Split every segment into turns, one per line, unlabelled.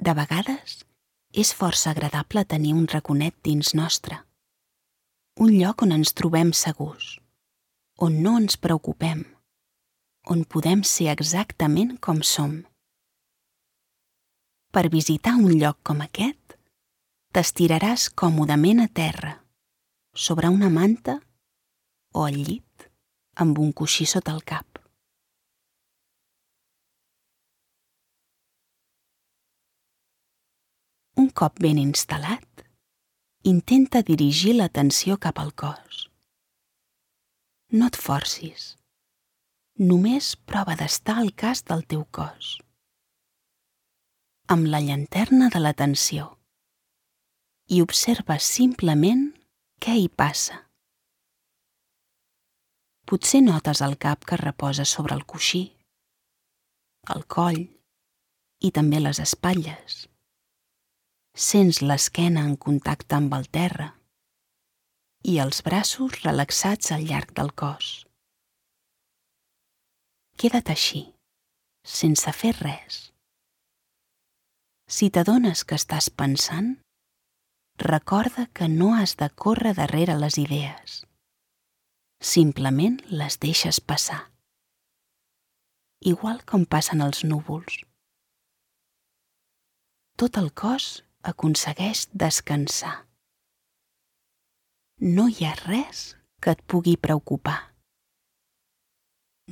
De vegades, és força agradable tenir un raconet dins nostre, un lloc on ens trobem segurs, on no ens preocupem, on podem ser exactament com som. Per visitar un lloc com aquest, t'estiraràs còmodament a terra, sobre una manta o al llit amb un coixí sota el cap. Un cop ben instal·lat, intenta dirigir l'atenció cap al cos. No et forcis. Només prova d'estar al cas del teu cos. Amb la llanterna de l'atenció. I observa simplement què hi passa. Potser notes el cap que reposa sobre el coixí, el coll i també les espatlles. Sents l'esquena en contacte amb el terra i els braços relaxats al llarg del cos. Queda't així, sense fer res. Si t'adones que estàs pensant, recorda que no has de córrer darrere les idees. Simplement les deixes passar. Igual com passen els núvols. Tot el cos aconsegueix descansar. No hi ha res que et pugui preocupar.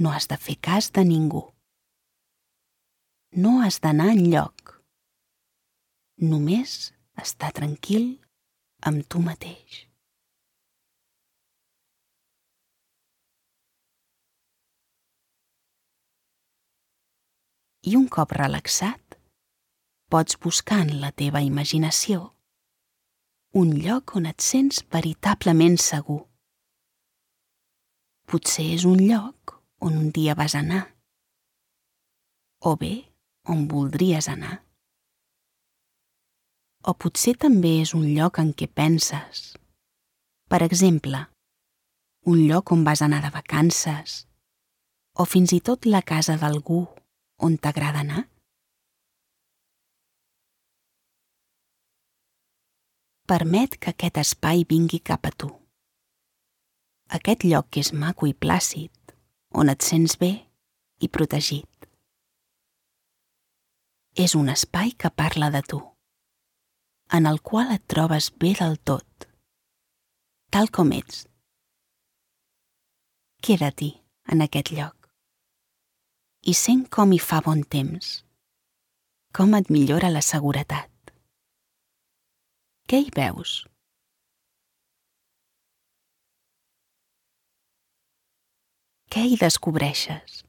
No has de fer cas de ningú. No has d'anar enlloc. Només estar tranquil amb tu mateix. I un cop relaxat, pots buscar en la teva imaginació un lloc on et sents veritablement segur. Potser és un lloc on un dia vas anar, o bé on voldries anar. O potser també és un lloc en què penses. Per exemple, un lloc on vas anar de vacances, o fins i tot la casa d'algú on t'agrada anar. Permet que aquest espai vingui cap a tu. Aquest lloc que és maco i plàcid, on et sents bé i protegit. És un espai que parla de tu, en el qual et trobes bé del tot, tal com ets. Queda-t'hi en aquest lloc i sent com hi fa bon temps, com et millora la seguretat. Què hi veus? Què hi descobreixes?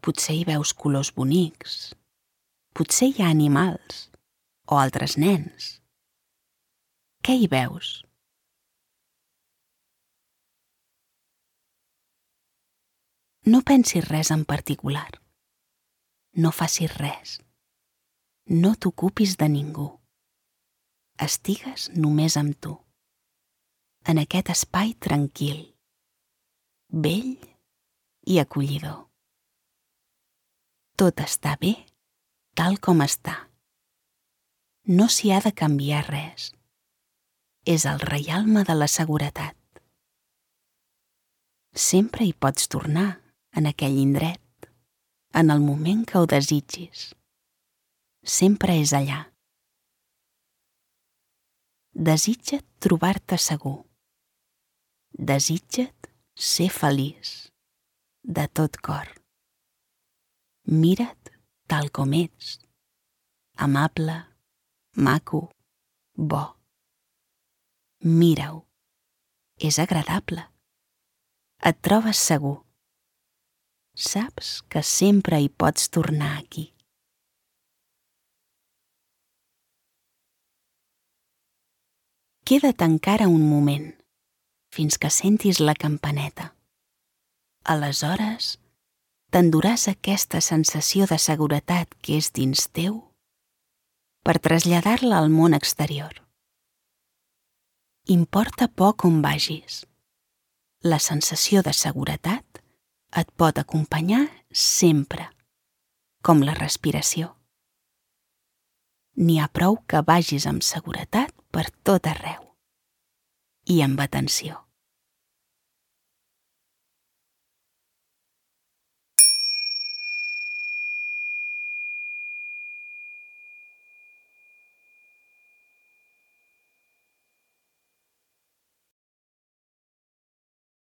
Potser hi veus colors bonics, potser hi ha animals o altres nens. Què hi veus? No pensis res en particular. No facis res. No t'ocupis de ningú. Estigues només amb tu, en aquest espai tranquil, bell i acollidor. Tot està bé tal com està. No s'hi ha de canviar res. És el reialme de la seguretat. Sempre hi pots tornar, en aquell indret, en el moment que ho desitgis. Sempre és allà. Desitja't trobar-te segur. Desitja't ser feliç, de tot cor. Mira't tal com ets, amable, maco, bo. Mira-ho, és agradable. Et trobes segur. Saps que sempre hi pots tornar aquí. Queda't encara un moment, fins que sentis la campaneta. Aleshores, t'enduràs aquesta sensació de seguretat que és dins teu per traslladar-la al món exterior. Importa poc on vagis. La sensació de seguretat et pot acompanyar sempre, com la respiració. n'hi ha prou que vagis amb seguretat per tot arreu. I amb atenció.